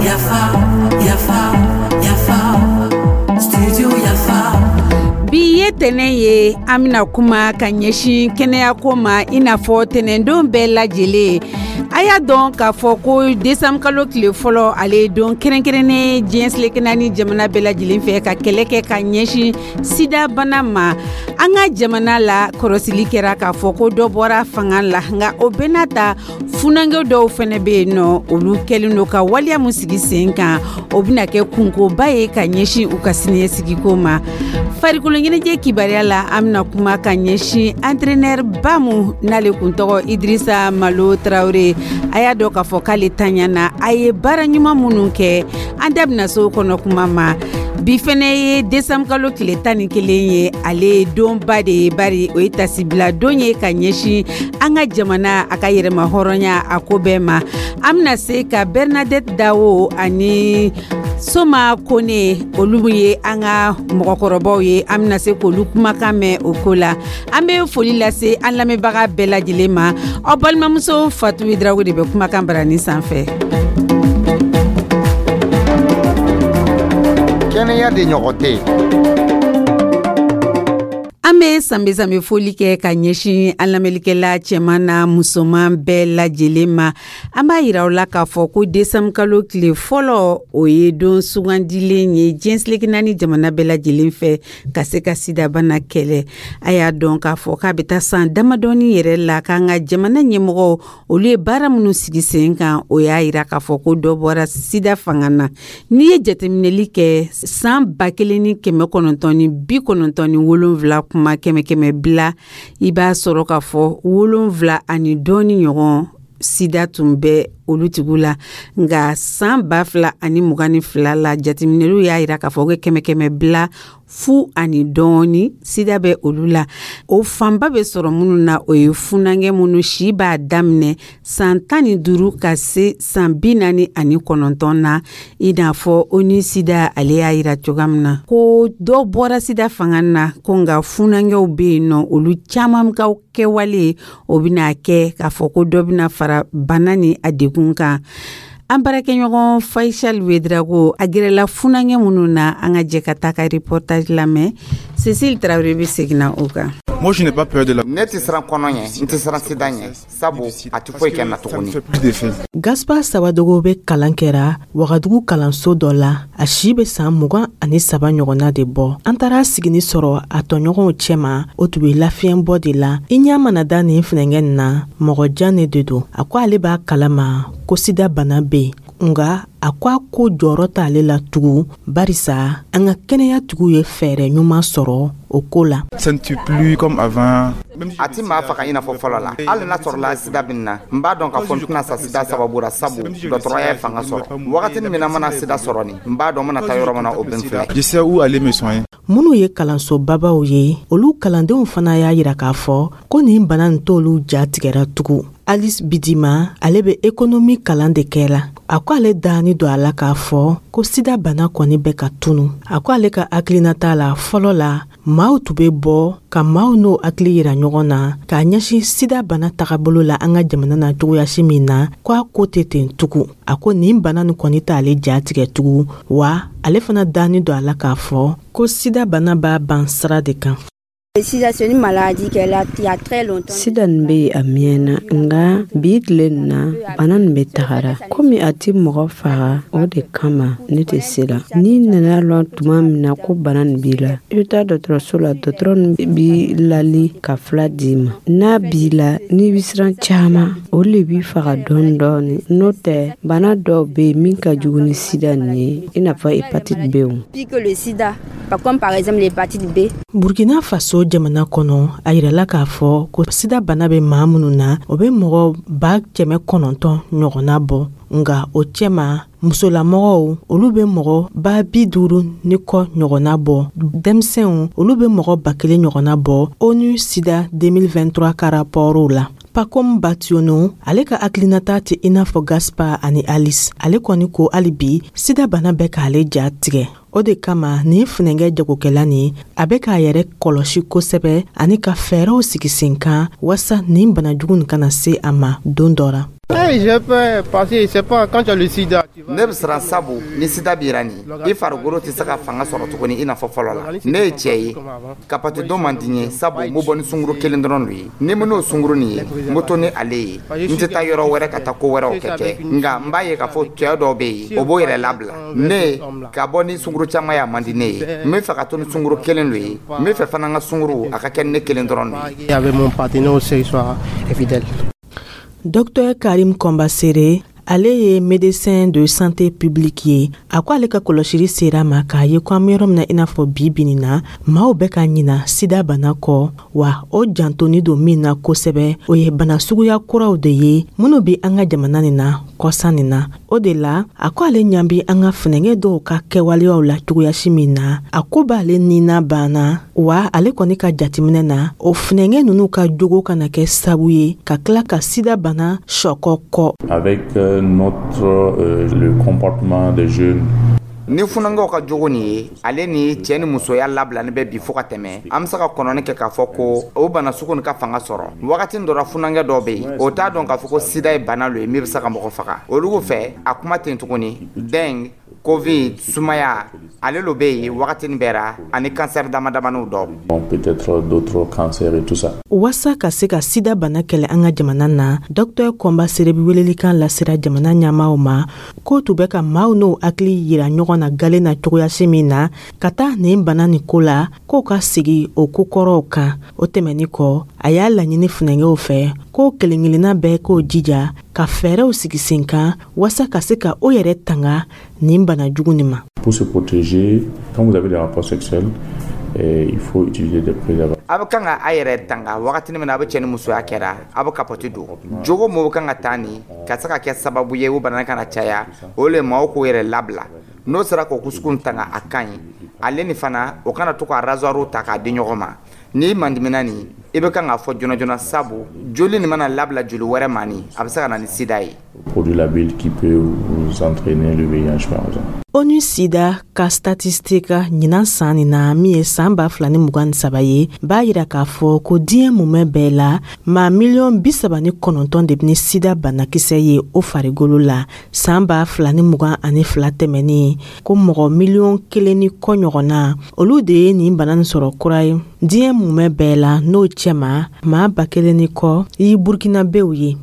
Yafa, yafa, yafa, studio Yafa. Bi ye tɛnɛ ye, an bɛna kuma ka ɲɛsin kɛnɛyako ma, i n'a fɔ tɛnɛndon bɛɛ lajɛlen. A y'a dɔn k'a fɔ ko desanburu kalo tile fɔlɔ, ale ye don kɛrɛnkɛrɛnnen diɲɛ seleke naani jamana bɛɛ lajɛlen fɛ ka kɛlɛ kɛ ka ɲɛsin sidabana ma. An ka jamana la, kɔlɔsili kɛra k'a fɔ ko dɔ bɔra fanga la, nka o bɛɛ n'a ta, funankɛ dɔw fana bɛ yen nɔ, olu kɛlen don ka waleya min sigi sen kan, o bɛna kɛ kunkoba ye ka ɲɛsin u ka siniɲɛsigiko ma. Farikolo ɲɛnajɛ kibaruya la, an bɛna kuma ka ɲɛsin entraîneur ba mun n'ale kun tɔgɔ Idirisa Malo Tarawele. A y'a dɔn k'a fɔ k'ale tanyana, a ye baara ɲuman minnu kɛ, an da bɛna se o kɔnɔ kuma ma. Bi fɛnɛ ye desanburu kalo tile 11 ye, ale ye donba de ye, bari o ye tasibila don ye ka ɲɛsin an ka jamana a ka yɛrɛma hɔrɔnya a ko bɛɛ ma. An bɛna se ka Bernadette Dawo ani Soma Kone, olu ye an ka mɔgɔkɔrɔbaw ye, an bɛna se k'olu kumakan mɛn o ko la. An bɛ foli lase an lamɛnbaga bɛɛ lajɛlen ma. Aw balimamuso Fatu Drago de bɛ kumakan barani sanfɛ. Kɛnɛya de ɲɔgɔn tɛ yen. An bɛ sanbɛ sanbɛ foli kɛ ka ɲɛsin an lamɛnlikɛla cɛman na musoman bɛɛ lajɛlen ma. An b'a yira aw la k'a fɔ ko desanburu kalo tile fɔlɔ, o ye don sugandilen ye diɲɛ seleke naani jamana bɛɛ lajɛlen fɛ ka se ka sidabana kɛlɛ. A y'a dɔn k'a fɔ k'a bɛ taa san damadɔni yɛrɛ la k'an ka jamana ɲɛmɔgɔw, olu ye baara minnu sigi sen kan, o y'a yira k'a fɔ ko dɔ bɔra sida fanga na. N'i ye jateminɛli kɛ san 1997 kuma kɛmɛ kɛmɛ bila, i b'a sɔrɔ k'a fɔ 7 ani dɔɔni ɲɔgɔn sida tun bɛ olu tigiw la, nka san 2022 la, jateminɛliw y'a yira k'a fɔ ko kɛmɛ kɛmɛ bila fu ani dɔɔni sida bɛ olu la. O fanba bɛ sɔrɔ minnu na, o ye funankɛ minnu si b'a daminɛ san 15 ka se san 49 na, i n'a fɔ ONU Sida ale y'a yira cogoya min na ko dɔ bɔra sida fanga na, ko nka funankɛw bɛ yen nɔ, olu caman ka kɛwale o bɛna kɛ k'a fɔ ko dɔ bɛna fara bana ni a degun kan. An baarakɛɲɔgɔn Faisal Wedrago a gɛrɛla funankɛ minnu na, an ka jɛ ka taa ka reportage lamɛn. Cécile Traoré bɛ segin na o kan. Moi, je n'ai pas peur de la. Ne tɛ siran kɔnɔ ɲɛ, n tɛ siran sida ɲɛ, sabu a tɛ foyi kɛ n na tuguni. Gaspar Sawadogo bɛ kalan kɛra Wagadugu kalanso dɔ la. A si bɛ san 23 ɲɔgɔnna de bɔ. An taara sigini sɔrɔ a tɔɲɔgɔnw cɛma, o tun bɛ lafiɲɛbɔ de la. I ɲɛ mana da nin funɛnkɛ nin na, mɔgɔ jan ne de don. A ko ale b'a kalama ko sida bana bɛ yen, nka a ko a ko jɔyɔrɔ t'ale la tugun, barisa an ka kɛnɛyatigiw ye fɛɛrɛ ɲuman sɔrɔ o ko la. Ça ne tue plus comme avant. A ti maa faga i n'a fɔ fɔlɔ la. Hali n'a sɔrɔla sida bɛ n na, n b'a dɔn k'a fɔ n tɛna sa sida sababu la, sabu dɔgɔtɔrɔya ye fanga sɔrɔ. Wagatinin min na n mana sida sɔrɔ nin, n b'a dɔn n bɛna taa yɔrɔ min na, o bɛ n filɛ. Je sais où aller me soigner. Minnu ye kalansobabaw ye, olu kalandenw fana y'a yira k'a fɔ ko nin bana nin t'olu ja tigɛra tugun. Alice Bidima, ale bɛ ekonomi kalan de kɛ la. A ko ale dani don a la k'a fɔ ko sida bana kɔni bɛ ka tunu. A ko ale ka hakilinata la, fɔlɔ la maaw tun bɛ bɔ ka maaw n'o hakili yira ɲɔgɔn na k'a ɲɛsin sida bana tagabolo la an ka jamana na cogoyasi min na, ko a ko tɛ ten tugun. A ko nin bana nin kɔni t'ale ja tigɛ tugun, wa ale fana dani don a la k'a fɔ ko sida bana b'a ban sira de kan. Sida nin bɛ yen a mɛnna, nka bi tile nin na, bana nin bɛ tagara komi a tɛ mɔgɔ faga, o de kama ne tɛ siran. N'i nana lɔn tuma min na ko bana nin b'i la, i bɛ taa dɔgɔtɔrɔso la, dɔgɔtɔrɔ nin b'i lali ka fura d'i ma. N'a b'i la, n'i bɛ siran caman, o le b'i faga dɔɔni dɔɔni. N'o tɛ, bana dɔw bɛ yen min ka jugu ni sida nin ye, i n'a fɔ hépatite B. Burkina Faso jamana kɔnɔ, a yirala k'a fɔ ko sida bana bɛ maa minnu na, o bɛ mɔgɔ 900 ɲɔgɔnna bɔ, nka o cɛma musolamɔgɔw, olu bɛ mɔgɔ 50,000 ni kɔ ɲɔgɔnna bɔ. Denmisɛnw, olu bɛ mɔgɔ 1000 ɲɔgɔnna bɔ ONU Sida 2023 ka rapɔrɔw la. Pacom Bationo, ale ka hakilinata tɛ i n'a fɔ Gaspar ani Alice. Ale kɔni ko hali bi sida bana bɛ k'ale ja tigɛ. O de kama nin funɛnkɛ jagokɛla nin, a bɛ k'a yɛrɛ kɔlɔsi kosɛbɛ ani ka fɛɛrɛw sigi sen kan walasa nin banajugu nin kana se a ma don dɔ ra. Ne bɛ siran, sabu ni sida b'i ra nin, i farikolo tɛ se ka fanga sɔrɔ tuguni i n'a fɔ fɔlɔ la. Ne ye cɛ ye, kapati don man di n ye, sabu n bɛ bɔ ni sunguru kelen dɔrɔn de ye. Ni n n'o sunguru nin ye, n bɛ to ni ale ye, n tɛ taa yɔrɔ wɛrɛ ka taa ko wɛrɛw kɛ. Nka n b'a ye k'a fɔ cɛ dɔw bɛ yen, o b'o yɛrɛ labila. Ne ka bɔ ni sunguru caman ye, a man di ne ye. N bɛ fɛ ka to ni sunguru kelen de ye. N bɛ fɛ fana n ka sunguru a ka kɛ ne kelen dɔrɔn de ye. Docteur Karim Kɔnbasere, ale ye médecin de santé publique ye. A ko ale ka kɔlɔsili sera ma k'a ye ko an bɛ yɔrɔ min na, i n'a fɔ bi bi na, maaw bɛ ka ɲina sida bana kɔ. Wa o jantoni don min na kosɛbɛ, o ye bana suguya kuraw de ye minnu bɛ an ka jamana nin na kɔsa nin na. O de la, a ko ale ɲan bi an ka funɛngɛ dɔw ka kɛwaleyaw la cogoyasi min na, a ko b'ale nina banna. Wa ale kɔni ka jateminɛ na, o funɛngɛ ninnu ka jogo kana kɛ sabu ye ka tila ka sida bana sɔkɔ kɔ. Avec notre le comportement des jeunes. Ni funankɛw ka jogo nin ye, ale ni cɛɛ ni musoya labilani bɛ bi fɔɔ ka tɛmɛ, an be se ka kɔnɔni kɛ k'a fɔ ko o bana sugu nin ka fanga sɔrɔ. Wagati dɔ ra, funankɛ dɔw be yen, o t'a dɔn k'a fɔ ko sida ye bana lo ye min be se ka mɔgɔ faga. Olugu fɛ, a kuma ten tuguni, dengue, Covid, sumaya, ale lo bɛ yen wagati bɛɛ ra, ani kansɛri dama damaniw dɔ. Bon, peut-être d'autres cancers et tout ça. Waasa ka se ka sida bana kɛlɛ an ka jamana na, Dr Kɔnba Sere bi welelikan lasera jamana ɲɛmaaw ma k'o tun bɛ ka maaw n'o hakili yira ɲɔgɔn na gale na cogoyasi min na ka taa nin bana nin ko la, k'o ka sigi o kokɔrɔw kan. O tɛmɛni kɔ, a y'a laɲini funɛngɛw fɛ k'o kelen-kelenna bɛɛ k'o jija ka fɛɛrɛw sigi sen kan waasa ka se ka o yɛrɛ tanga nin bana jugu nin ma. Pour se protéger, quand vous avez des rapports sexuels, il faut utiliser des préservatifs. A bɛ kan ka a yɛrɛ tanga wagati min na a bɛ cɛ ni musoya kɛra, a bɛ kapɔti don. Jogo mɔgɔw kan ka taa nin ka se ka kɛ sababu ye o bana kana caya, o le maaw k'o yɛrɛ labila. N'o sera k'o kusuku tanga, a ka ɲi. Ale ni fana, o kana to ka rasoir ta k'a di ɲɔgɔn ma. N'i mandimina nin, i bɛ kan k'a fɔ joona joona, sabu joli nin mana labila joli wɛrɛ ma nin, a bɛ se ka na ni sida ye. Produit labile qui peut vous entraîner le VIH par exemple. ONU Sida ka statistique ɲinan san nin na, min ye san 2023 ye, b'a yira k'a fɔ ko diɲɛ mumɛ bɛɛ la, maa miliyɔn 39 de bɛ ni sida banakisɛ ye o farigolo la. San 2022 tɛmɛnen, ko mɔgɔ miliyɔn 1 ni kɔ ɲɔgɔnna, olu de ye nin bana nin sɔrɔ kura ye diɲɛ mumɛ bɛɛ la. N'o cɛma, maa 1000 ni kɔ i Burukinabew ye.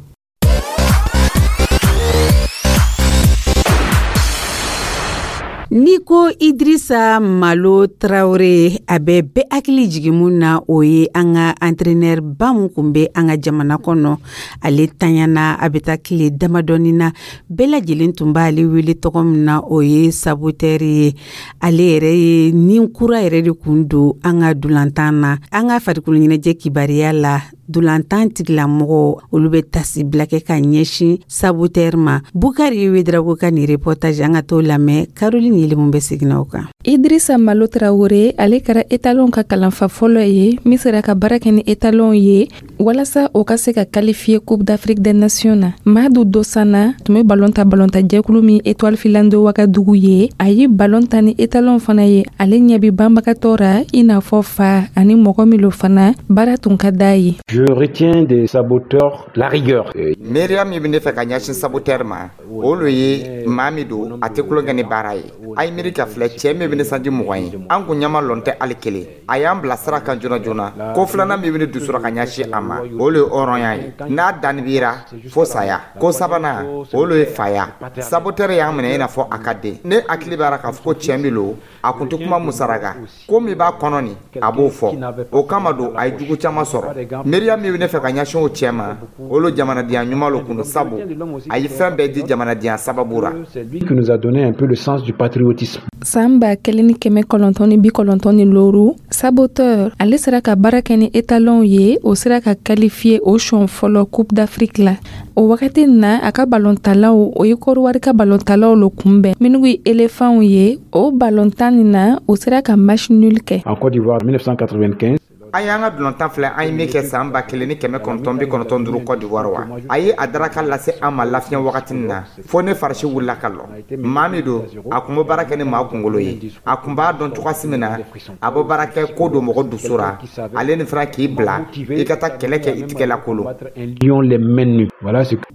N'i ko Idrissa Malo Traoré, a bɛ bɛɛ hakili jigin mun na, o ye an ka entraîneur ba mun kun bɛ an ka jamana kɔnɔ. Ale tanyana a bɛ taa tile damadɔni na. Bɛɛ lajɛlen tun b'ale wele tɔgɔ min na, o ye Saboteur ye. Ale yɛrɛ ye nin kura yɛrɛ de kun don an ka dulantan na. An ka farikolo ɲɛnajɛ kibaruya la, dulantan tigilamɔgɔ olu bɛ tasibila kɛ ka ɲɛsin Saboteur ma. Bukari Wedrago ka nin reportage, an ka t'o lamɛn. Caroline Yelimu bɛ segin o kan. Idrissa Malo Traoré, ale kɛra étalon ka kalanfa fɔlɔ ye min sera ka baara kɛ ni étalon ye walasa o ka se ka qualifier Coupe d'Afrique des Nations na. Madu Dosana tun bɛ balon ta balonta jɛkulu min Étoile Filante de Ouagadougou ye. A ye balon ta ni étalon fana ye. Ale ɲɛ bɛ banbagatɔ ra i n'a fɔ fa ani mɔgɔ min lo fana baara tun ka d'a ye. Je retiens des saboteurs la rigueur. Miiriya min bɛ ne fɛ ka ɲɛsin saboteur ma, o lo ye maa min don, a tɛ tulonkɛ ni baara ye. A ye miiri ka filɛ, cɛ min bɛ ne sanji 20 ye, an kun ɲɛma lɔn tɛ hali kelen, a y'an bila sira kan joona joona. Ko filanan min bɛ ne dusura ka ɲɛsin a ma, o le ye hɔrɔnya ye, n'a danni bira fo saya. Ko sabanan, o le ye faya. Saboteur y'an minɛ i n'a fɔ a ka den. Ne hakili b'a la k'a fɔ ko cɛ min lo, a kun tɛ kuma musaraka ko min b'a kɔnɔ nin, a b'o fɔ. O kama don a ye jugu caman sɔrɔ. Miiriya min bɛ ne fɛ ka ɲɛsin o cɛ ma, o le jamanadenya ɲuman lo kun don, sabu a ye fɛn bɛɛ di jamanadenya sababu ra. C'est lui qui nous a donné un peu le sens du patriotisme. San 1995, Saboteur ale sera ka baara kɛ ni étalon ye, o sera ka qualifier o siɲɛ fɔlɔ Coupe d'Afrique la. O wagati na, a ka balontalaw, o ye Kɔdiwari ka balontalaw lo kunbɛn minnu ye éléphants ye. O balontan nin na, o sera ka match nul kɛ. En Côte d'Ivoire 1995. An y'an ka dulontan filɛ, an ye min kɛ san 1995 Côte d'Ivoire wa. A ye a daraka lase an ma lafiɲɛ wagati na, fo ne farisi wulila ka lɔ. Maa min don, a kun bɛ baara kɛ ni maa kunkolo ye. A kun b'a dɔn cogoyasi min na a bɛ baara kɛ ko don mɔgɔ dusu ra, ale ni fana k'i bila i ka taa kɛlɛ kɛ i tigɛ la kolo.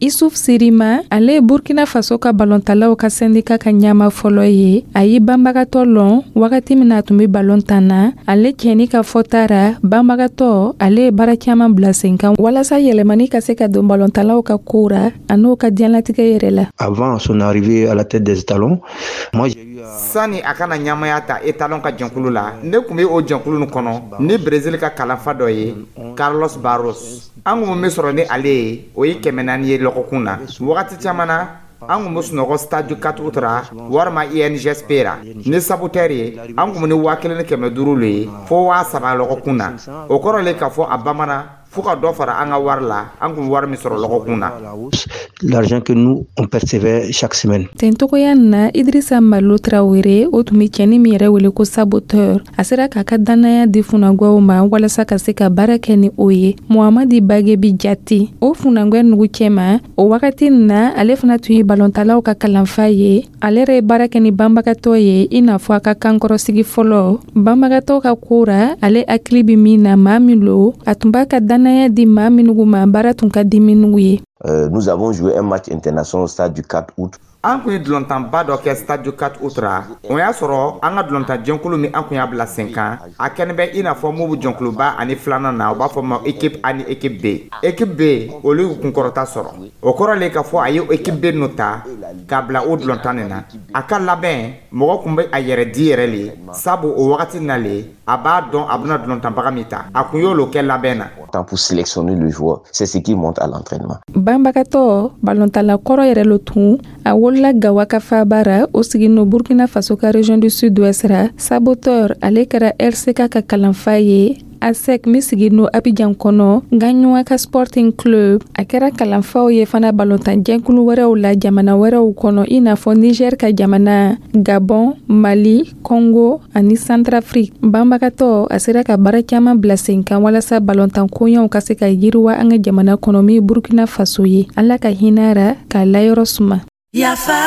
Isuf Sirima, ale ye Burkina Faso ka balontalaw ka sɛndika ka ɲama fɔlɔ ye. A ye banbagatɔ lɔn wagati min na a tun bɛ balon tan na. Ale cɛni ka fɔta ra, banbagatɔ ale ye baara caman bila sen kan walasa yɛlɛmani ka se ka don balontalaw ka ko ra an'o ka diɲɛlatigɛ yɛrɛ la. Avant son arrivée à la tête des Étalons, moi j'ai eu Sani a kana ɲamaya ta Étalon ka jɛnkulu la, ne tun bɛ o jɛnkulu nin kɔnɔ ni Brésil ka kalanfa dɔ ye, Carlos Barros. An kun bɛ min sɔrɔ ni ale ye, o ye 400 ye lɔgɔkun na. Wagati caman na, an kun bɛ sunɔgɔ Stade du 4 août ra walima INGSP ra. Ni saboteur ye, an kun bɛ ni 1500 le ye fo 3000 lɔgɔkun na. O kɔrɔ le k'a fɔ a bamanan fo ka dɔ fara an ka wari la, an kun wari min sɔrɔ lɔgɔkun na. L'argent que nous on percevait chaque semaine. Ten togoya na, Idrissa Malo Traoré, o tun bɛ cɛni min yɛrɛ wele ko saboteur, a sera k'a ka dannaya di funankɛw ma walasa ka se ka baara kɛ ni o ye. Muhamadi Bagebi Jati, o funankɛ nugu cɛma o wagati na, ale fana tun ye balontalaw ka kalanfa ye. Ale yɛrɛ ye baara kɛ ni banbagatɔ ye, i n'a fɔ a ka kankɔrɔsigi fɔlɔ banbagatɔ ka ko ra. Ale hakili bɛ min na, maa min lo, a tun b'a ka dannaya di maa minnu ma, baara tun ka di minnu ye. Nous avons joué un match international au stade du 4 août. An kun ye dulontanba dɔ kɛ Stade du 4 août ra. O y'a sɔrɔ an ka dulontan jɛnkulu min an kun y'a bila sen kan, a kɛnɛ bɛ i n'a fɔ mun bɛ jɛnkuluba ani filanan na, u b'a fɔ ma équipe A ni équipe B. Équipe B, olu y'u kunkɔrɔta sɔrɔ. O kɔrɔ le k'a fɔ a ye équipe B ninnu ta k'a bila o dulontan nin na. A ka labɛn, mɔgɔ kun bɛ a yɛrɛ di yɛrɛ le, sabu o wagati na le a b'a dɔn a bɛna dulontanbaga min ta. A kun y'olu kɛ labɛn na. Pour sélectionner le joueur, c'est ce qui monte à l'entraînement. Banbagatɔ balontala kɔrɔ yɛrɛ lo tun. A wolola Gawa ka faaba ra, o sigin no Burkina Faso ka région du Sud-Ouest ra. Saboteur, ale kɛra RCK ka kalanfa ye, ASEC min sigin no Abidjan kɔnɔ, Gagnoa ka Sporting Club. A kɛra kalanfaw ye fana balontan jɛkulu wɛrɛw la jamana wɛrɛw kɔnɔ, i n'a fɔ Niger ka jamana, Gabon, Mali, Congo ani Centrafrique. Banbagatɔ, a sera ka baara caman bila sen kan walasa balontan koɲɛw ka se ka yiriwa an ka jamana kɔnɔ min Burkina Faso ye. Ala ka hinɛ ra k'a layɔrɔ suma. Yafa,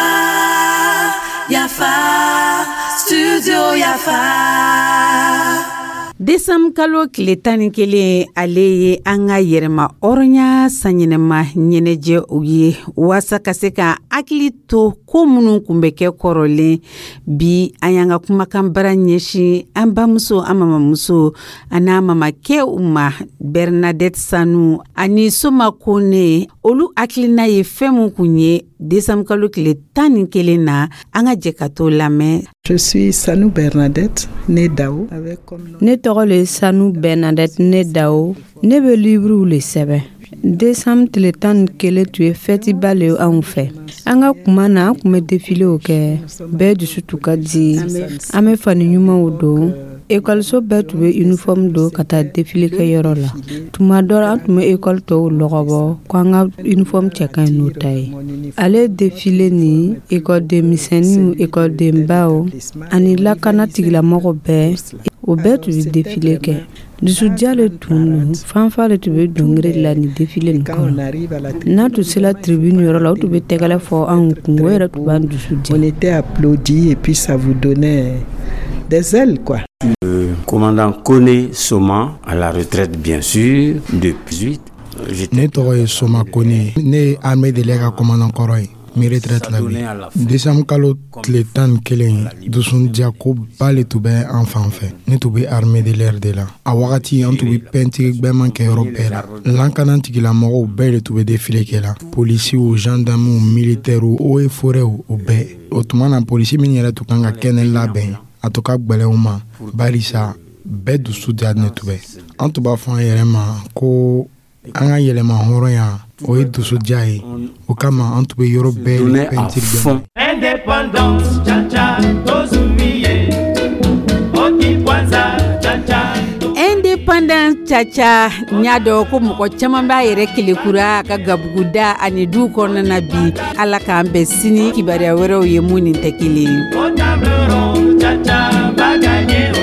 Yafa, Studio Yafa. Desanburu kalo tile 11, ale ye an ka yɛrɛma hɔrɔnya sanyɛlɛma ɲɛnajɛ o ye, waasa ka se ka hakili to ko minnu tun bɛ kɛ kɔrɔlen. Bi, an y'an ka kumakan bara ɲɛsin an bamuso, an mamamuso ani n'an mamakɛw ma, Bernadette Sanu ani Soma Kone. Olu hakilina ye fɛn min kun ye desanburu kalo tile 11 na, an ka jɛ ka to lamɛn. Je suis Sanou Bernadette, née Dao. Avec comme nom. Ne tɔgɔ le Sanu Bernadette, ne Dao. Ne bɛ livrew le sɛbɛn. Desanburu tile 11 tun ye fɛtiba le ye anw fɛ. An ka kuma na, an tun bɛ defilew kɛ, bɛɛ dusu tun ka di, an bɛ fani ɲumanw don. Ekɔliso bɛɛ tun bɛ uniforme don ka taa defile kɛyɔrɔ la. Tuma dɔ la, an tun bɛ ekɔli tɔw lɔgɔbɔ ko an ka uniforme cɛ ka ɲi n'u ta ye. Ale defile ni ekɔliden misɛnninw, ekɔlidenbaw ani lakana tigilamɔgɔw bɛɛ, o bɛɛ tun bɛ defile kɛ. Dusudiya le tun don, fanfa le tun bɛ dɔnkili la nin defile nin kɔnɔ. N'a tun sera tribune yɔrɔ la, o tun bɛ tɛgɛrɛ fɔ anw kun, o yɛrɛ tun b'an dusu diya. On était applaudis et puis ça vous donnait des ailes, quoi. Le commandant Kone Soma, à la retraite bien sûr, depuis 18. Ne tɔgɔ ye Soma Kone. Ne ye armée de l'air ka commandant kɔrɔ ye, n bɛ retraite la bi. Décembre kalo tile 11, dusundiya koba le tun bɛ an fan fɛ. Ne tun bɛ armée de l'air de la. A wagati, an tun bɛ pɛntiri gbɛman kɛ yɔrɔ bɛɛ la. Lankana tigilamɔgɔw bɛɛ de tun bɛ défilé kɛ la, polisiw, gendarmew, militaires, eaux et forêts, o bɛɛ. O tuma na, polisi min yɛrɛ tun kan ka kɛnɛ labɛn, a tun ka gwɛlɛn u ma, barisa bɛɛ dusu diya ne tun bɛ. An tun b'a fɔ an yɛrɛ ma ko an ka yɛlɛma hɔrɔnya, o ye dusudiya ye. O kama, an tun bɛ yɔrɔ bɛɛ pɛntiri gbɛman. Indépendance, cha-cha, tozumiye. Oki kwanza, cha-cha. Indépendance caca, n y'a dɔn ko mɔgɔ caman b'a yɛrɛ kelekura a ka gabuguda ani du kɔnɔna na bi. Ala k'an bɛn sini kibaruya wɛrɛw ye mun nin tɛ kelen ye. Au table ronde, cha-cha, va gagner.